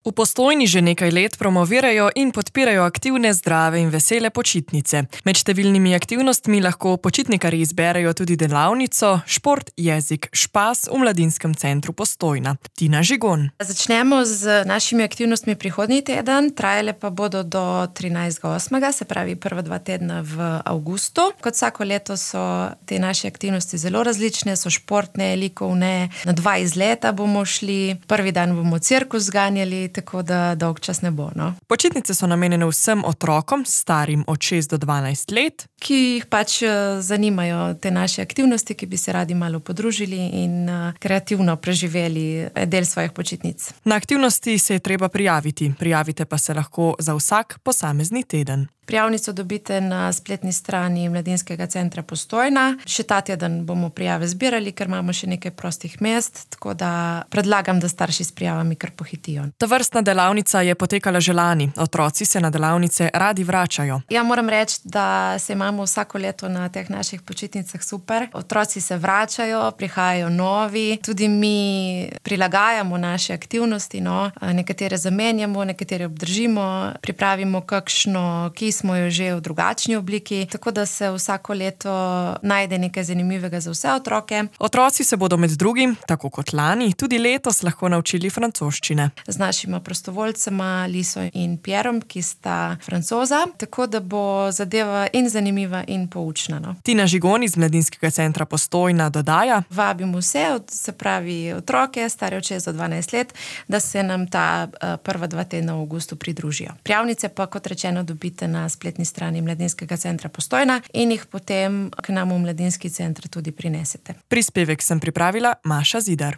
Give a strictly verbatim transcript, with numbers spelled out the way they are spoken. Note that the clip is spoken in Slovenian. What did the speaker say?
V Postojni že nekaj let promovirajo in podpirajo aktivne, zdrave in vesele počitnice. Med številnimi aktivnostmi lahko počitnikarji izberejo tudi delavnico Šport, jezik, špas v Mladinskem centru Postojna. Tina Žigon. Začnemo z našimi aktivnostmi prihodnji teden, trajale pa bodo do trinajstega osmega, se pravi prva dva tedna v avgustu. Kot vsako leto so te naše aktivnosti zelo različne, so športne, likovne, na dva izleta bomo šli, prvi dan bomo cirkus zganjali, tako da dolg čas ne bo. No. Počitnice so namenjene vsem otrokom, starim od šest do dvanajst let, ki jih pač zanimajo te naše aktivnosti, ki bi se radi malo podružili in kreativno preživeli del svojih počitnic. Na aktivnosti se je treba prijaviti, prijavite pa se lahko za vsak posamezni teden. Prijavnico dobite na spletni strani Mladinskega centra Postojna. Še ta teden bomo prijave zbirali, ker imamo še nekaj prostih mest, tako da predlagam, da starši s prijavami kar pohitijo. Tovrstna delavnica je potekala že lani. Otroci se na delavnice radi vračajo. Ja, moram reči, da se imamo vsako leto na teh naših počitnicah super. Otroci se vračajo, prihajajo novi, tudi mi prilagajamo naše aktivnosti, no. Nekatere zamenjamo, nekatere obdržimo, pripravimo kakšno, ki smo jo že v drugačni obliki, tako da se vsako leto najde nekaj zanimivega za vse otroke. Otroci se bodo med drugim, tako kot lani, tudi letos lahko naučili francoščine. Z našima prostovoljcema Liso in Pierom, ki sta Francoza, tako da bo zadeva in zanimiva in poučna. No. Tina Žigon iz Mladinskega centra Postojna dodaja: Vabimo vse, se pravi otroke, stare od šest do dvanajst let, da se nam ta prva dva tedna v avgustu pridružijo. Prijavnice pa, kot rečeno, dobite na spletni strani Mladinskega centra Postojna in jih potem k nam v Mladinski center tudi prinesete. Prispevek sem pripravila Maša Zidar.